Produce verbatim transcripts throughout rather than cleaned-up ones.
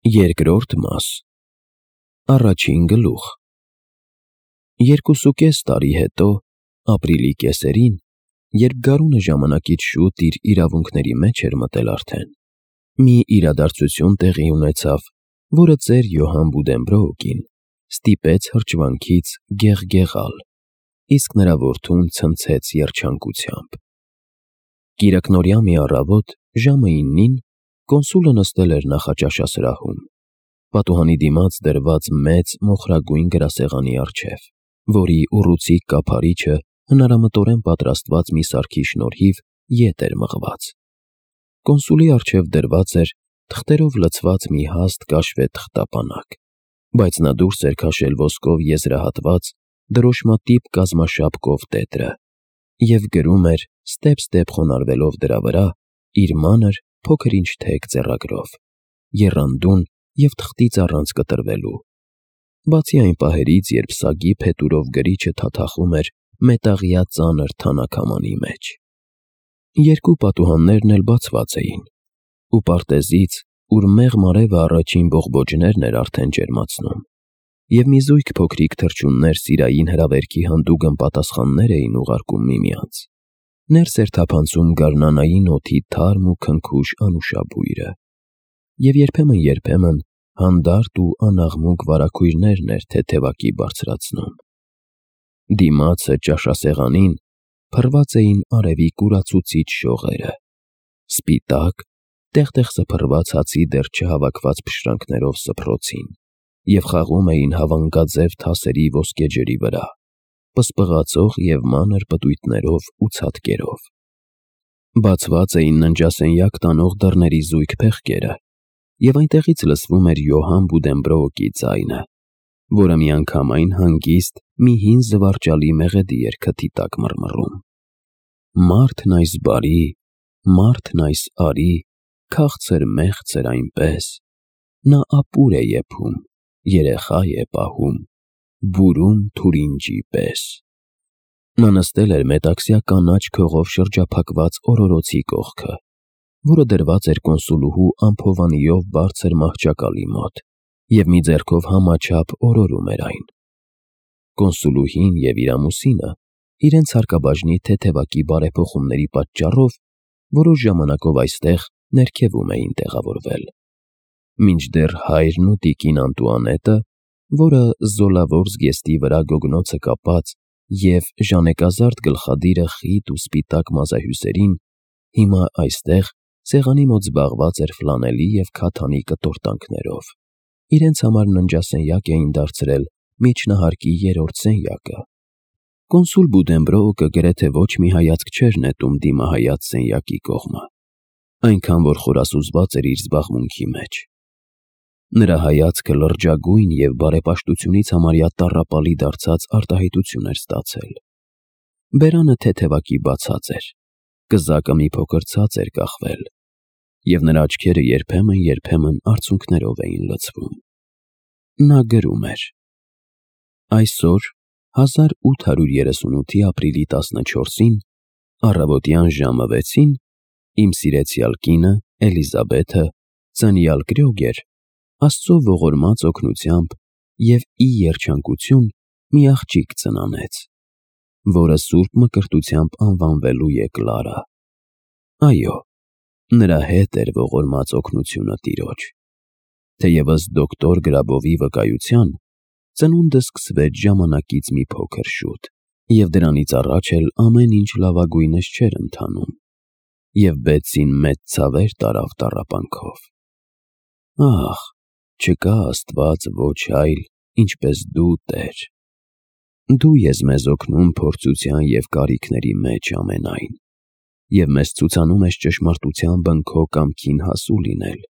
Երկրորդ մաս Առաջին գլուխ Երկուսուկես տարի հետո, ապրիլի կեսերին, երբ գարունը ժամանակից շուտ իր իրավունքների մեջ էր մտել արդեն, մի իրադարձություն տեղի ունեցավ, որը ծեր Յոհան Բուդենբրոուկին ստիպեց հրճվանքից գեղգեղալ, իսկ նրա որդուն ցնցեց երջանկությամբ։ Կիրակնօրյա մի առավոտ, ժամը իննին, կոնսուլը նստել էր նախաճաշասրահում, պատուհանի դիմաց դրված մեծ մոխրագույն գրասեղանի առջև, որի ուռուցիկ կափարիչը հնարամտորեն պատրաստված մի սարքի շնորհիվ ետ էր մղված։ Կոնսուլի առջև դրված էր թղթերով լցված մի հաստ կաշվե թղթապանակ, բայց նա դուրս էր քաշել ոսկով եզրահատված դրոշմատիպ կազմաշապկով տետրը և գրում էր ստեպ-ստեպ խոնարհվելով դրա վրա իր մանր, փոքր-ինչ թեք ձեռագրով, եռանդուն և թղթից առանց կտրվելու, բացի այն պահերից, երբ սագի փետուրով գրիչը թաթախում էր մետաղյա ծանր թանաքամանի մեջ։ Երկու պատուհաններն էլ բացված էին, ու պարտեզից, ուր մեղմ արևը առաջին բողբոջներն էր արդեն ջերմացնում, և մի զույգ փոքրիկ թռչուններ սիրային հրավերքի հանդուգն պատասխաններ էին ուղարկում միմյանց, ներս էր թափանցում գարնանային օդի թարմ ու քնքուշ անուշաբույրը, և երբեմն-երբեմն հանդարտ ու անաղմուկ վարագույրներն էր թեթևակի բարձրացնում։ Դիմացը ճաշասեղանին փռված էին արևի կուրացուցիչ շողերը, սպիտակ, տեղ-տեղ սփռված հացի դեռ չհավաքված փշրանքներով սփռոցին և խաղում էին հավանգաձև թասերի ոսկե ջրի վրա, պսպղացող և մանր պտույտներով ու ցատկերով։ Բացված էին ննջասենյակ տանող դռների զույգ փեղկերը, և այնտեղից լսվում էր Յոհան Բուդենբրոուկի ձայնը, որը միանգամայն հանգիստ մի հին զվարճալի մեղեդի էր քթի տակ մռմռում. «Մարդն այս բարի, մարդն այս արի, քաղցր֊մեղցր այնպես, նա ապուր է եփում, երեխա է պահում, բուրում թուրինջի պես»։ Նա նստել էր մետաքսյա կանաչ քողով շրջափակված օրորոցի կողքը, որը դրված էր կոնսուլուհու ամփովանիով բարձր մահճակալի մոտ, և մի ձեռքով համաչափ օրորում էր այն։ Կոնսուլուհին և իր ամուսինը իրենց հարկաբաժնի թեթևակի բարեփոխումների պատճառով որոշ ժամանակով այստեղ ներքևում էին տեղավորվել, մինչդեռ հայրն ու տիկին Անտուանետը, որը զոլավոր զգեստի վրա գոգնոցը կապած և ժանեկազարդ գլխադիրը խիտ ու սպիտակ մազահյուսերին, հիմա այստեղ սեղանի մոտ զբաղված էր ֆլանելի և քաթանի կտորտանքներով, իրենց համար ննջասենյակ էին դարձրել միջնահարկի երրորդ սենյակը։ Կոնսուլ Բուդենբրոուկը գրեթե ոչ մի հայացք չէր նետում դիմահայաց սենյակի կողմը, այնքան որ խորասուզված էր իր զբաղմունքի մեջ։ Նրա հայացքը լրջագույն և բարեպաշտությունից համարյա տառապալի դարձած արտահայտություն էր ստացել։ Բերանը թեթևակի բացած էր, կզակը մի փոքր ցած էր կախվել, և նրա աչքերը երբեմն-երբեմն արցունքներով էին լցվում։ Նա գրում էր. «Այսօր, հազար ութ հարյուր երեսունութի ապրիլի տասնչորսին, առավոտյան ժամը վեցին, իմ սիրեցյալ կինը, Էլիզաբեթը, ծնյալ Կրյոգեր, Աստծո ողորմած օգնությամբ և ի երջանկություն մի աղջիկ ծնանեց, որը սուրբ մկրտությամբ անվանվելու է Կլարա։ Այո, նրա հետ էր ողորմած օգնությունը Տիրոջ։ Թեևս դոկտոր Գրաբովի վկայության, ծնունդը սկսվեց ժամանակից մի փոքր շուտ, և դրանից առաջ էլ ամեն ինչ լավագույնս չէր ընթանում, և Բեցին մեծ ցավեր տարավ տառապանքով։ Ահ, չկա Աստված ոչ այլ, ինչպես դու, Տեր։ Դու ես մեզ օգնում փորձության և կարիքների մեջ ամենայն, և մեզ ցուցանում ես ճշմարտության բն քո կամքին հասու լինել,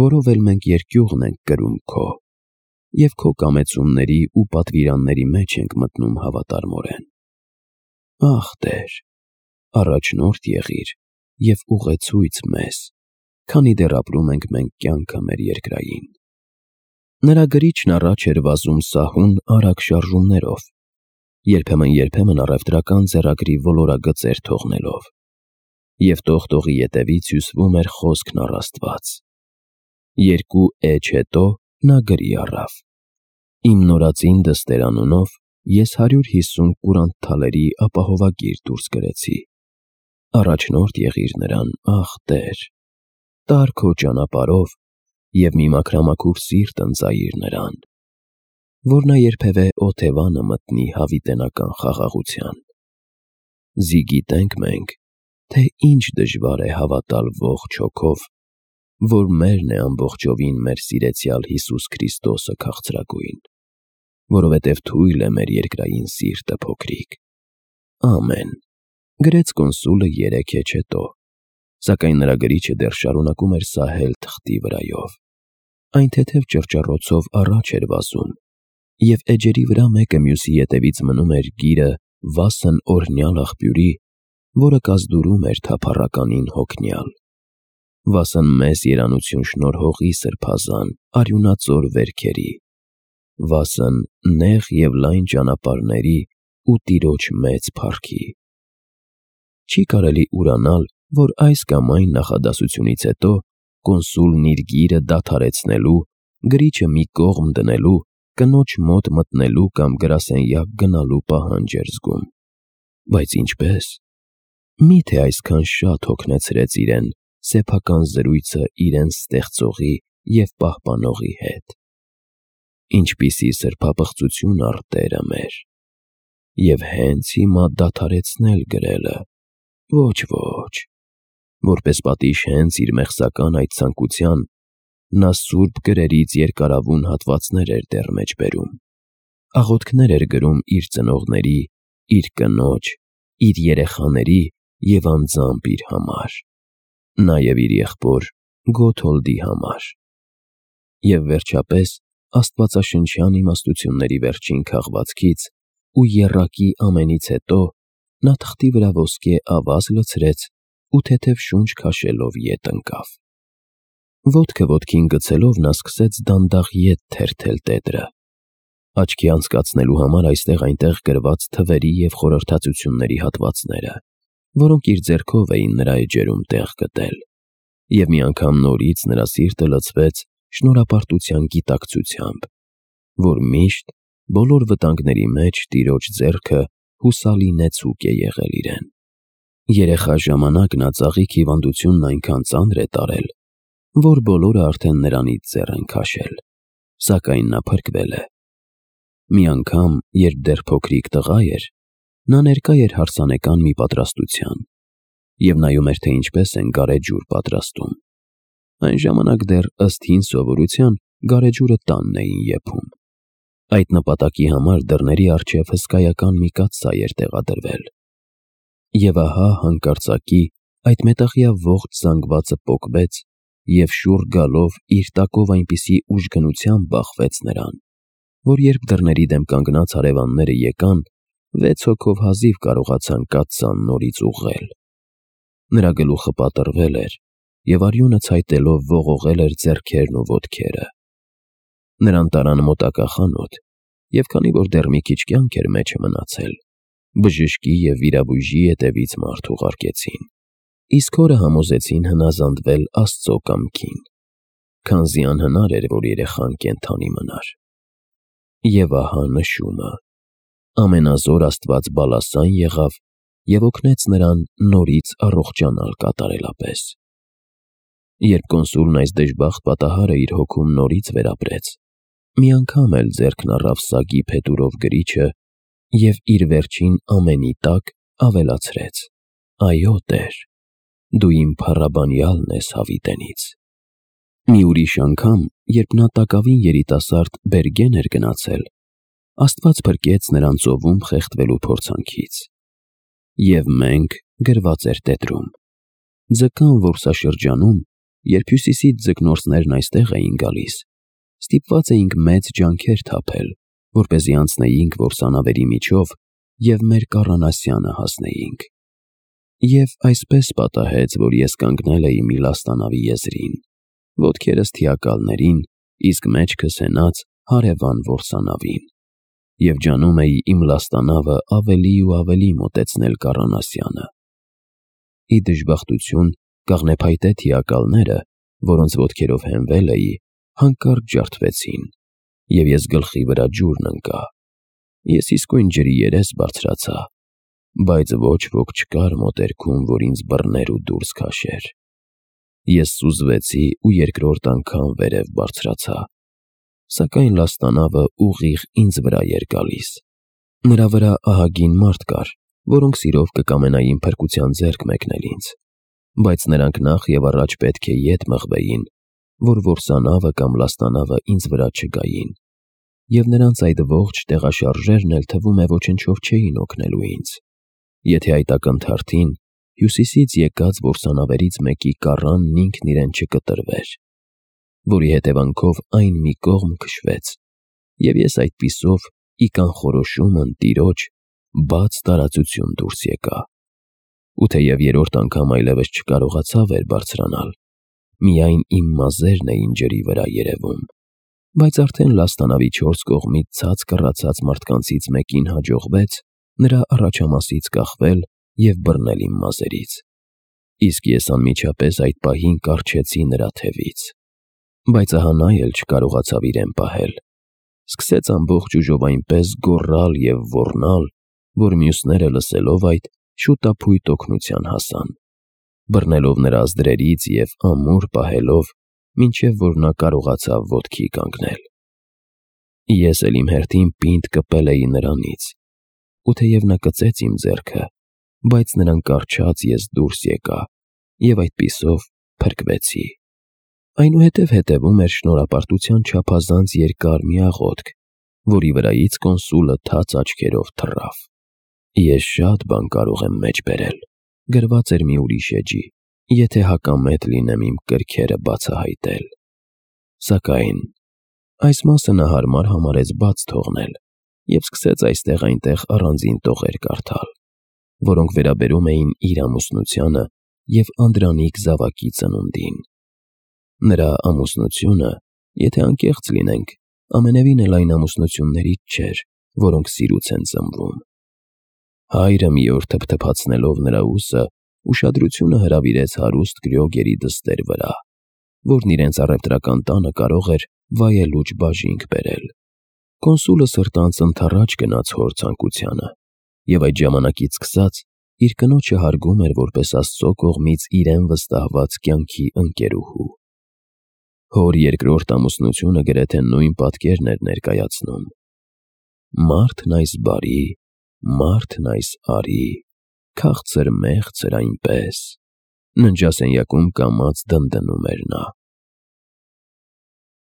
որով էլ մենք երկյուղն ենք կրում քո, և քո կամեցումների ու պատվիրանների մեջ ենք մտնում հավատարմորեն։ Ահ, Տեր, առաջնորդ եղիր և ուղեցույց մեզ, քանի դեռ ապրում ենք մենք կյանքը մեր երկրային։ Նրա գրիչն առաջ էր վազում սահուն արագ շարժումներով, երբեմն-երբեմն առևտրական ձեռագրի ոլորագծեր թողնելով, և տող-տողի ետևից հյուսվում էր խոսքն առ Աստված։ Երկու էջ հետո նա գրի առավ. «Իմ նորածին դստեր» անունով ես հարյուր հիսուն կուրանտ թալերի ապահովագիր դուրս գրեցի։ Առաջնորդ եղիր նրան, ախ Տեր, տար քո ճանապարհով և մի մաքրամաքուր սիրտ ընծայիր նրան, որ նա երբևէ օթևանը մտնի հավիտենական խաղաղության։ Զիգիտենք մենք, թե ինչ դժվար է հավատալ ողջ հոգով, որ մերն է ամբողջովին մեր սիրեցյալ Հիսուս Քրիստոսը քաղցրագույն, որովհետև թույլ է մեր երկրային սիրտը փոքրիկ։ Ամեն։ Գրեց կոնսուլը երեք էջ հետո, սակայն նրա գրիչը դեռ շարունակում էր սահել թղթի վրայով։ Այն թեթև ճռճռոցով առաջ էր վազում, և էջերի վրա մեկը մյուսի ետևից մնում էր գիրը վասն օրհնյալ աղբյուրի, որը կազդուրում էր թափառականին հոգնյալ։ Վասն մեզ երանություն շնորհողի սրբազան արյունածոր վերքերի, վասն նեղ և լայն ճանապարհների ու Տիրոջ մեծ փառքի։ Չի կարելի ուրանալ, որ այս կամ այն նախադասությունից հետո կոնսուլն իր գիրը դադարեցնելու, գրիչը մի կողմ դնելու, կնոջ մոտ մտնելու կամ գրասենյակ գնալու պահանջ էր զգում։ Բայց ինչպե՞ս։ Մի՞թե այսքան շատ հոգնեցրեց իրեն սեփական զրույցը իրեն ստեղծողի և պահպանողի հետ։ Ինչպիսի սրբապղծություն առ Տերը մեր։ Եվ հենց հիմա դադարեցնել գրելը։ Ոչ, ոչ։ Որպես պատիժ հենց իր մեղսական այդ ցանկության, նա սուրբ գրերից երկարավուն հատվածներ էր դեռ մեջ բերում, աղոթքներ էր գրում իր ծնողների, իր կնոջ, իր երեխաների և անձամբ իր համար, նաև իր եղբոր Գոթոլդի համար։ Եվ վերջապես աստվածաշնչյան իմաստությունների վերջին քաղվածքից ու եռակի ամենից հետո նա թղթի վրա ոսկե ավազ լցրեց ու թեթև շունչ քաշելով ետ ընկավ։ Ոտքը ոտքին գցելով նա սկսեց դանդաղ ետ թերթել տետրը, աչքի անցկացնելու համար այստեղ-այնտեղ գրված թվերի և խորհրդածությունների հատվածները, որոնք իր ձեռքով էին նրա էջերում տեղ գտել, և մի անգամ նորից նրա սիրտը լցվեց շնորհապարտության գիտակցությամբ, որ միշտ բոլոր վտանգների մեջ Տիրոջ ձեռքը հուսալի նեցուկ է եղել իրեն։ Երեխա ժամանակ նա ծաղիկ հիվանդությունն այնքան ծանր է տարել, որ բոլորը արդեն նրանից ձեռ են քաշել, սակայն նա փրկվել է։ Մի անգամ, երբ դեռ փոքրիկ տղա էր, նա ներկա էր հարսանեկան մի պատրաստության և նայում էր, թե ինչպես են գարեջուր պատրաստում։ Այն ժամանակ դեռ ըստ հին սովորության գարեջուրը տանն էին եփում։ Այդ նպատակի համար դռների առջև հսկայական մի կաթսայ էր տեղադրվել։ Եվ ահա հանկարծակի այդ մետաղյա ողջ զանգվածը պոկվեց և շուռ գալով իր տակով այնպիսի ուժգնությամբ բախվեց նրան, որ երբ դռների դեմ կանգնած հարևանները եկան, վեց հոգով հազիվ կարողացան կաթսան նորից ուղղել։ Նրա գլուխը պատռվել էր, և արյունը ցայտելով ողողել էր ձեռքերն ու ոտքերը։ Նրան տարան մոտակա խանութ, և քանի որ դեռ մի քիչ կյանք էր մեջը մնացել, բժշկի և վիրաբույժի ետևից մարդ ուղարկեցին, իսկ հորը համոզեցին հնազանդվել Աստծո կամքին, քանզի անհնար էր, որ երեխան կենդանի մնար։ Եվ ահա նշումը. ամենազոր Աստված բալասան եղավ և օգնեց նրան նորից առողջանալ կատարելապես։ Երբ կոնսուլն այս դժբախտ պատահարը իր հոգում նորից վերապրեց, մի անգամ էլ ձեռքն առավ սագի փետուրով գրիչը և իր վերջին ամենի տակ ավելացրեց. «Այո, Տեր, դու իմ փառաբանյալն ես հավիտենից»։ Մի ուրիշ անգամ, երբ նա տակավին երիտասարդ Բերգեն էր գնացել, Աստված փրկեց նրան ծովում խեղդվելու փորձանքից։ «Եվ մենք» գրված էր տետրում, «ձկան որսաշրջանում, երբ հյուսիսից ձկնորսներն այստեղ էին գալիս, ստիպված էինք մեծ ջանքեր թափել, որպեսզի անցնեինք որսանավերի միջով և մեր կառանասյանը հասնեինք։ Եվ այսպես պատահեց, որ ես կանգնել էի մի լաստանավի եզրին, ոտքերս թիակալներին, իսկ մեջքս հենած հարևան որսանավին, և ջանում էի իմ լաստանավը ավելի ու ավելի մոտեցնել կառանասյանը։ Ի դժբախտություն կաղնեփայտե թիակալները, որոնց ոտքերով հենվել էի, հանկարծ ջարդվեցին, և ես գլխի վրա ջուրն ընկա։ Ես իսկույն ջրի երես բարձրացա, բայց ոչ ոք չկար մոտերքում, որ ինձ բռներ ու դուրս քաշեր։ Ես սուզվեցի ու երկրորդ անգամ վերև բարձրացա, սակայն լաստանավը ուղիղ ինձ վրա էր գալիս։ Նրա վրա ահագին մարդ կար, որոնք սիրով կկամենային փրկության ձեռք մեկնել ինձ, բայց նրանք նախ և առաջ պետք է ետ մղվեին, որ որսանավը կամ լաստանավը ինձ վրա չգային, և նրանց այդ ողջ տեղաշարժերն էլ թվում է ոչնչով չէին օգնելու ինձ, եթե այդ ակնթարթին հյուսիսից եկած որսանավերից մեկի կառանն ինքն իրեն չկտրվեր, որի հետևանքով այն մի կողմ քշվեց, և ես այդպիսով ի կանխորոշում ընտիրոջ բաց տարածություն դուրս եկա։ Ու թեև երրորդ անգամ այլևս չկարողացա վեր բարձրանալ, միայն իմ մազերն էին ջրի վրա երևում, բայց արդեն լաստանավի չորս կողմից ցած կռացած մարդկանցից մեկին հաջողվեց նրա առաջամասից կախվել և բռնել իմ մազերից, իսկ ես անմիջապես այդ պահին կառչեցի նրա թևից, բայց ահա նա էլ չկարողացավ իրեն պահել, սկսեց ամբողջ ուժով այնպես գոռալ և ոռնալ, որ մյուսները լսելով այդ շուտափույթ օգնության հասան, բռնելով նրա ազդրերից և ամուր պահելով, մինչև որ նա կարողացավ ոտքի կանգնել։ Ես էլ իմ հերթին պինդ կպել էի նրանից, ու թեև նա կծեց իմ ձեռքը, բայց նրան կառչած ես դուրս եկա և այդպիսով փրկվեցի։ Այնուհետև հետևում էր շնորհապարտության չափազանց երկար մի աղոթք, որի վրայից կոնսուլը թաց աչքերով թռավ։ Ես շատ բան կարող եմ մեջ բերել, գրված էր մի ուրիշ էջի, եթե հակամետ լինեմ իմ կրքերը բացահայտել։ Սակայն այս մասը նա հարմար համարեց բաց թողնել և սկսեց այստեղ-այնտեղ առանձին տողեր կարդալ, որոնք վերաբերում էին իր ամուսնությանը և անդրանիկ զավակի ծնունդին։ Նրա ամուսնությունը, եթե անկեղծ լինենք, ամենևին էլ այն ամուսնություններից չէր, որոնք սիրուց են ծնվում։ Հայրը մի օր թփթփացնելով նրա ուսը, ուշադրությունը հրավիրեց հարուստ կրյոգերի դստեր վրա, որն իրենց առևտրական տանը կարող էր վայելուչ բաժինգ բերել։ Կոնսուլը սրտանց ընդառաջ գնաց հոր ցանկությանը և այդ ժամանակից սկսած իր կնոջը հարգում էր որպես Աստծո կողմից իրեն վստահված կյանքի ընկերուհու։ Հոր երկրորդ ամուսնությունը գրեթե նույն պատկերն էր ներկայացնում. «Մարդն այս բարի, մարդն այս արի, քաղցր մեղցր այնպես», ննջասենյակում կամաց դնդնում էր նա։